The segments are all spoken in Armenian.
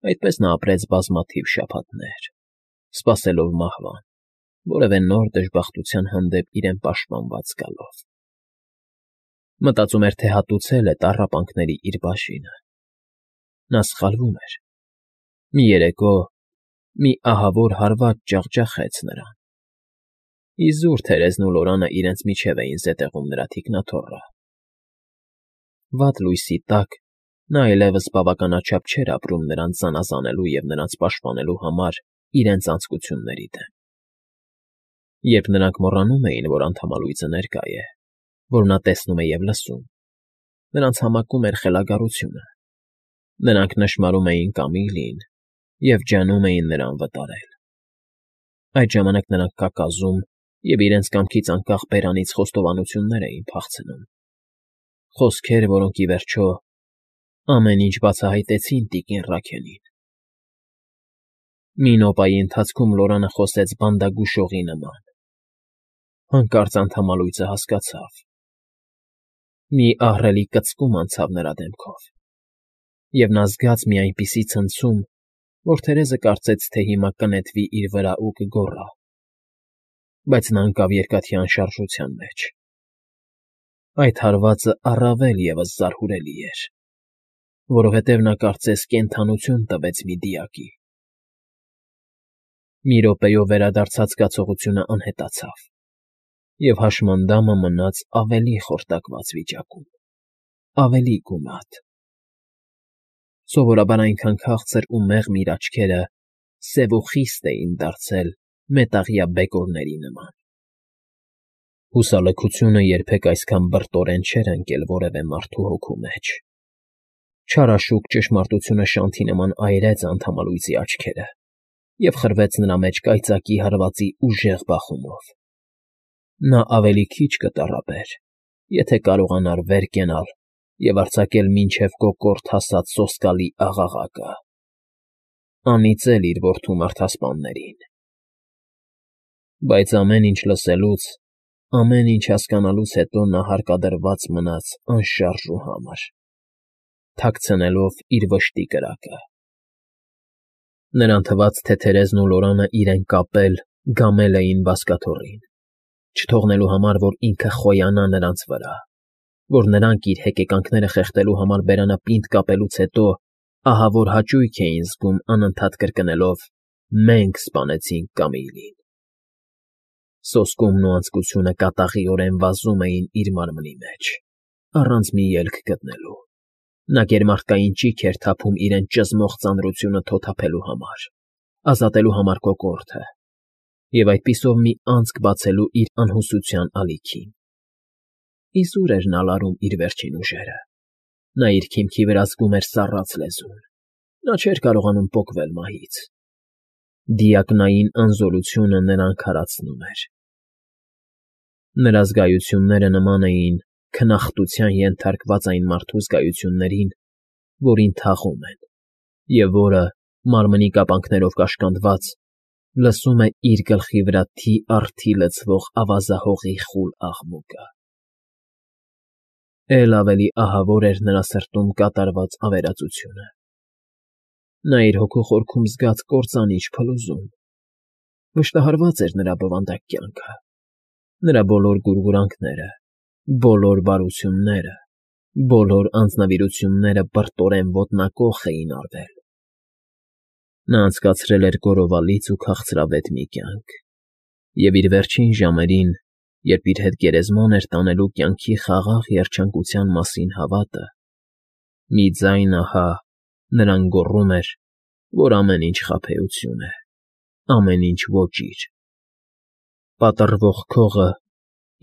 Այդպես նա ապրեց բազմաթիվ շաբաթներ, սպասելով մահվան, որևէ նոր դժբախտության հանդեպ իրեն պաշտպանված զգալով. մտածում էր, թե հատուցել է տառապանքների իր բաժինը. նա սխալվում էր. մի երեկո մի ահավոր հարված ջախջախեց նրան, իզուր թերեզն ու Լորանը իրենց միջև էին զետեղում նրա թիկնաթոռը. վատ լույսի տակ նա այլևս բավականաչափ չէր ապրում նրանց զանազանելու և նրանց պաշտպանելու համար իրենց անձկությունների դեմ. երբ նրանք մոռանում էին, որ անդամալույձը ներկա է, որ նա տեսնում է և լսում, նրանց համակում էր խելագարությունը, նրանք նշմարում էին Կամիլին և ջանում էին նրան վտարել. այդ ժամանակ նրանք կակազում և իրենց կամքից անկախ բերանից խոստովանություններ էին փախցնում, խոսքեր, որոնք, ի վերջո, ամեն ինչ բացահայտեցին տիկին Ռաքելին. մի նոպայի ընթացքում Լորանը խոսեց բանդագուշողի նման. հանկարծ անդամալույձը հասկացավ. մի ահռելի կծկում անցավ նրա դեմքով, և նա զգաց մի այնպիսի ցնցում, որ Թերեզը կարծեց, թե հիմա կնետվի իր վրա ու կգոռա, բայց նա ընկավ երկաթի անշարժության մեջ. այդ հարվածը առավել ևս զարհուրելի էր, որովհետև նա կարծես կենդանություն տվեց մի դիակի. մի րոպեով վերադարձած զգացողությունը անհետացավ, և հաշմանդամը մնաց ավելի խորտակված վիճակում, ավելի գունատ. սովորաբար այնքան քաղցր ու մեղմ իր աչքերը սև ու խիստ էին դարձել մետաղյա բեկորների նման. հուսալքությունը երբեք այսքան բրտորեն չէր ընկել որևէ մարդու հոգու մեջ. չարաշուկ ճշմարտությունը շանթի նման այրեց անդամալույձի աչքերը և խրվեց նրա մեջ կայծակի հարվածի ուժեղ բախումով. նա ավելի քիչ կտառապեր, եթե կարողանար վեր կենալ և արձակել մինչև կոկորդ հասած սոսկալի աղաղակը, անիծել իր որդու մարդասպաններին. բայց ամեն ինչ լսելուց, ամեն ինչ հասկանալուց հետո նա հարկադրված մնաց անշարժ ու համր, թաքցնելով իր վշտի կրակը. նրան թվաց, թե Թերեզն ու Լորանը իրեն կապել, գամել էին բազկաթոռին, չթողնելու համար, որ ինքը խոյանա նրանց վրա, որ նրանք իր հեկեկանքները խեղդելու համար բերանապինդ կապելուց հետո ահավոր հաճույք էին զգում անընդհատ կրկնելով. «Մենք սպանեցինք Կամիլին»։ Սոսկումն ու անձկությունը կատաղիորեն վազում էին իր մարմնի մեջ, առանց մի ելք գտնելու. նա գերմարդկային ճիգ էր թափում իրեն ճզմող ծանրությունը թոթափելու համար, ազատելու համար կոկորդը և այդպիսով մի անցք բացելու իր անհուսության ալիքին. իզուր էր նա լարում իր վերջին ուժերը, նա իր քիմքի վրա զգում էր սառած լեզուն, նա չէր կարողանում պոկվել մահից. դիակնային անզորությունը նրան քարացնում էր. նրա զգայությունները նման էին քնախտության ենթարկված այն մարդու զգայություններին, որին թաղում են, և որը, մարմնի կապանքներով կաշկանդված, լսում է իր գլխի վրա թի առ թի լցվող ավազահողի խուլ աղմուկը. Էլ ավելի ահավոր էր նրա սրտում կատարված ավերածությունը. նա իր հոգու խորքում զգաց կործանիչ փլուզում, վշտահարված էր նրա բովանդակ կյանքը, նրա բոլոր գուրգուրանքները, բոլոր բարությունները, բոլոր անձնվիրությունները բրտորեն ոտնակոխ էին արվել. նա անցկացրել էր գոռովալից ու քաղցրավետ մի կյանք, և իր վերջին ժամերին, երբ իր հետ գերեզման էր տանելու կյանքի խաղաղ երջանկության մասին հավատը, մի ձայն ահա նրան գոռում էր, որ ամեն ինչ խաբեություն է, ամեն ինչ ոճիր. պատռվող քողը,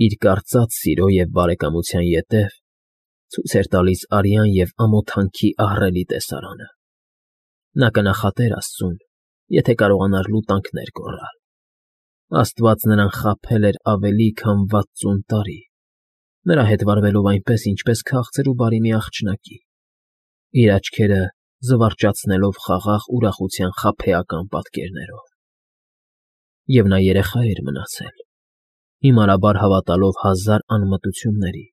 իր կարծած սիրո և բարեկամության ետև, ցույց էր տալիս արյան և ամոթանքի ահռելի տեսարանը. նա կնախատեր աստծուն, եթե կարողանար լուտանքներ գոռալ. Աստված նրան խաբել էր ավելի քան 60 տարի, նրա հետ վարվելով այնպես, ինչպես քաղցր ու բարի մի աղջնակի, իր աչքերը զվարճացնելով խաղաղ ուրախության խաբեական պատկերներով. և նա երեխա էր մնացել, հիմարաբար հավատալով հազար անմտությունների,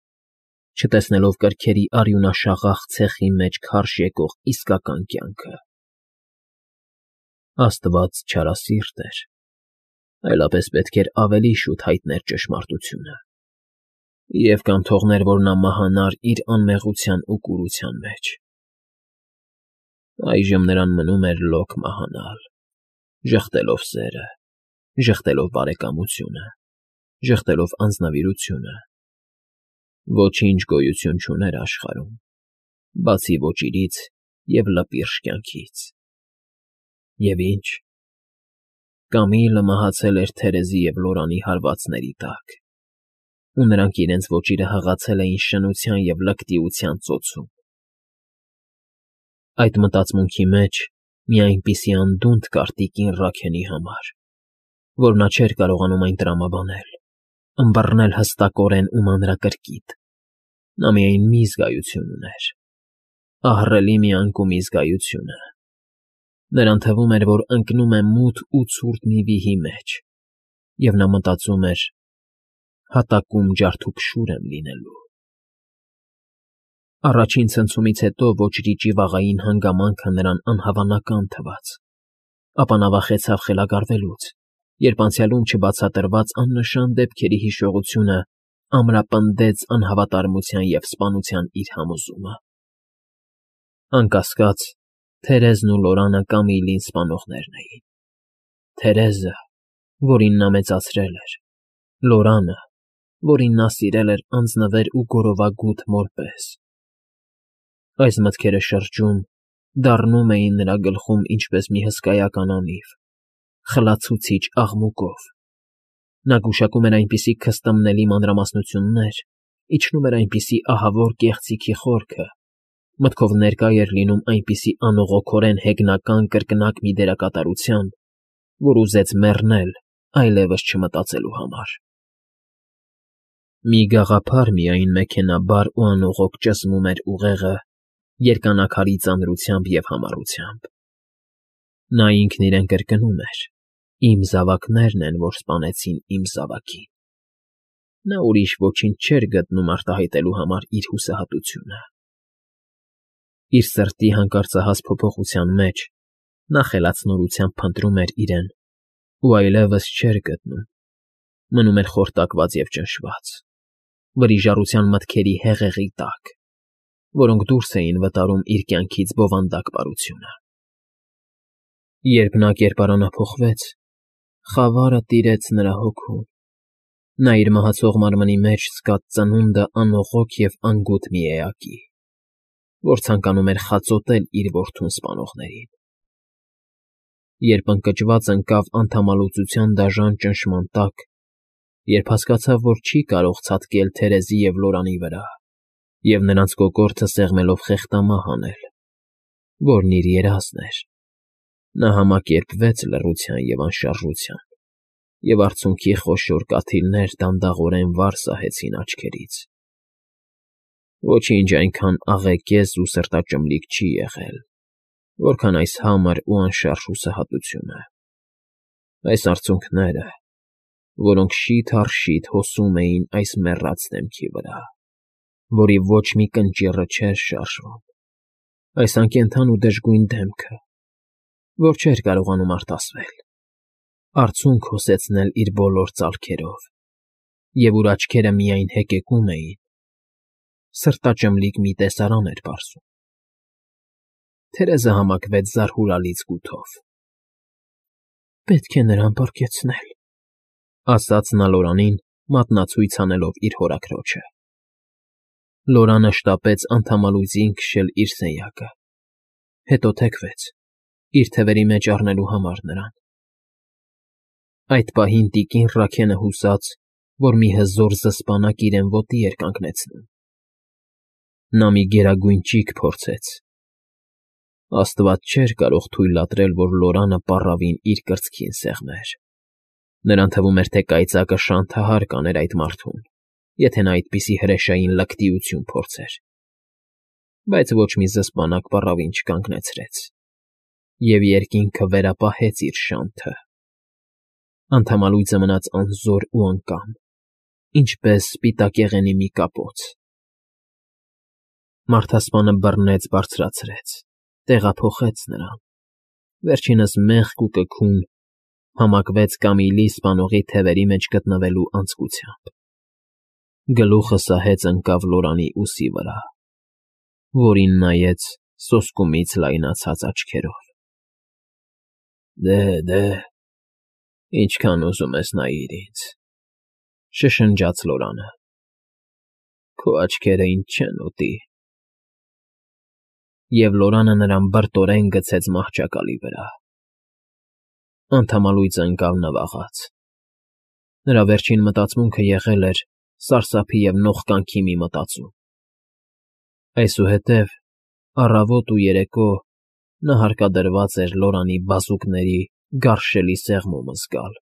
չտեսնելով կրքերի արյունաշաղախ ցեխի մեջ քարշ եկող իսկական կյանքը, Աստված չարասիրտ էր, այլապես պետք էր ավելի շուտ հայտներ ճշմարտությունը, և կամ թողներ, որ նա մահանար իր անմեղության ու կուրության մեջ։ Այժմ նրան մնում էր լոկ մահանալ, ժխտելով սերը, ժխտելով բարեկամությունը, ժխտելով անձնավիրությունը։ Ոչինչ գոյություն չուներ աշխարհում, բացի ոչ իրից և լպիրշ կյանքից։ Եվ ինչ. Կամիլը մահացել էր Թերեզի և Լորանի հարվածների տակ, ու նրանք իրենց ոճիրը հղացել էին շնության և լկտիության ծոցում։ Այդ մտածմունքի մեջ մի այնպիսի անդունդ կար տիկին Ռաքենի համար, որ նա չէր կարողանում այն տրամաբանել, ըմբռնել հստակորեն ու մանրակրկիտ։ Նա միայն մի զգայություն ուներ, ահռելի մի անկումի զգայությունը։ Նրան թվում էր, որ ընկնում է մութ ու ցուրտ մի վիհի մեջ, և նա մտածում էր. հատակում ջարդուփշուր եմ լինելու։ Առաջին ցնցումից հետո ոչրի ճիվաղային հանգամանքը նրան անհավանական թվաց, ապա նա վախեցավ խելագարվելուց, երբ անցյալում չբացատրված աննշան դեպքերի հիշողությունը ամրապնդեց անհավատարմության և սպանության իր համոզումը։ Անկասկած, Թերեզն ու Լորանը Կամիլին սպանողներն էին։ Թերեզը, որին նա մեծացրել էր, Լորանը, որին նա սիրել էր անձնվեր ու գորովագութ մոր պես։ Այս մտքերը շրջում, դառնում էին նրա գլխում ինչպես մի հսկայական անիվ, խլացուցիչ աղմուկով։ Նա գուշակում էր այնպիսի քստմնելի մանրամասնություններ, իջնում էր այնպիսի ահավոր կեղծիքի խորքը, մտքով ներկա էր լինում այնպիսի անողոքորեն հեգնական կրկնակ մի դերակատարության, որ ուզեց մեռնել այլևս չմտածելու համար։ Մի գաղափար միայն մեքենաբար ու անողոք ճզմում էր ուղեղը երկանաքարի ծանրությամբ և համառությամբ։ Նա ինքն իրեն կրկնում էր. «Իմ զավակներն են, որ սպանեցին իմ զավակին»։ Նա ուրիշ ոչինչ չէր գտնում արտահայտելու համար իր հուսահատությունը։ Իր սրտի հանկարծահաս փոփոխության մեջ նա խելացնորությամբ փնտրում էր իրեն ու այլևս չէր գտնում, մնում էր խորտակված և ճնշված, վրիժառության մտքերի հեղեղի տակ, որոնք դուրս էին վտարում իր կյանքից բովանդակ բարությունը։ Երբ նա կերպարանափոխվեց, խավարը տիրեց նրա հոգում։ Նա իր մահացող մարմնի մեջ զգաց ծնունդը անողոք և անգութ մի էակի, որ ցանկանում էր խածոտել իր որդուն սպանողներին։ Երբ ընկճված ընկավ անդամալուծության դաժան ճնշման տակ, երբ հասկացավ, որ չի կարող ցատկել Թերեզի և Լորանի վրա և նրանց կոկորդը սեղմելով խեղդամահ անել, որն իր երազն էր, նա համակերպվեց լռության և անշարժության, և արցունքի խոշոր կաթիլներ դանդաղորեն վար սահեցին աչքերից։ Ոչինչ այնքան աղեկեզ ու սրտաճմլիկ չի եղել, որքան այս համր ու անշարժ հուսահատությունը, այս արցունքները, որոնք շիթ առ շիթ հոսում էին այս մեռած դեմքի վրա, որի ոչ մի կնճիռը չէր շարժվում, այս անկենդան ու դժգույն դեմքը, որ չէր կարողանում արտասվել, արցունք հոսեցնել իր բոլոր ծալքերով, և ուր աչքերը միայն հեկեկում էին, սրտաճմլիկ մի տեսարան էր պարզում։ Թերեզը համակվեց զարհուրալի զգութով։ «Պետք է նրան պառկեցնել», ասաց նա Լորանին, մատնացույց անելով իր հորաքրոջը։ Լորանը շտապեց անդամալույձին քշել իր սենյակը, հետո թեքվեց, իր թևերի մեջ առնելու համար նրան։ Այդ պահին տիկին Ռաքենը հուսաց, որ մի հզոր զսպանակ իրեն ոտի էր կանգնեցնում։ Նա մի գերագույն ճիգ փորձեց։ Աստված չէր կարող թույլատրել, որ Լորանը պառավին իր կրծքին սեղմեր։ Նրան թվում էր, թե կայծակը շանթահար կաներ այդ մարդուն, եթե նա այդպիսի հրեշային լկտիություն փորձեր։ Բայց ոչ մի զսպանակ պառավին չկանգնեցրեց, և երկինքը վերապահեց իր շանթը։ Անդամալույձը մնաց անզոր ու անկամ, ինչպես սպիտակեղենի մի կապոց։ Մարդասպանը բռնեց բարձրացրեց, տեղափոխեց նրան, Վերջինս մեղք ու կքուն համակվեց Կամիլի սպանողի թևերի մեջ գտնվելու անձկությամբ, գլուխը սահեց ընկավ Լորանի ուսի վրա, որին նայեց սոսկումից լայնացած աչքերով։ Դե, ինչքան ուզում ես նայիր ինձ,֊ շշնջաց Լորանը։֊ Քո աչքերը ինձ չեն ուտի… Եվ Լորանը նրան բրտորեն գցեց մահճակալի վրա… Անդամալույծը ընկավ նվաղած… Նրա վերջին մտածմունքը եղել էր սարսափի և նողկանքի մի մտածում… Այսուհետև առավոտ ու երեկո նա հարկադրված էր Լորանի բազուկների գարշելի սեղմումը զգալ։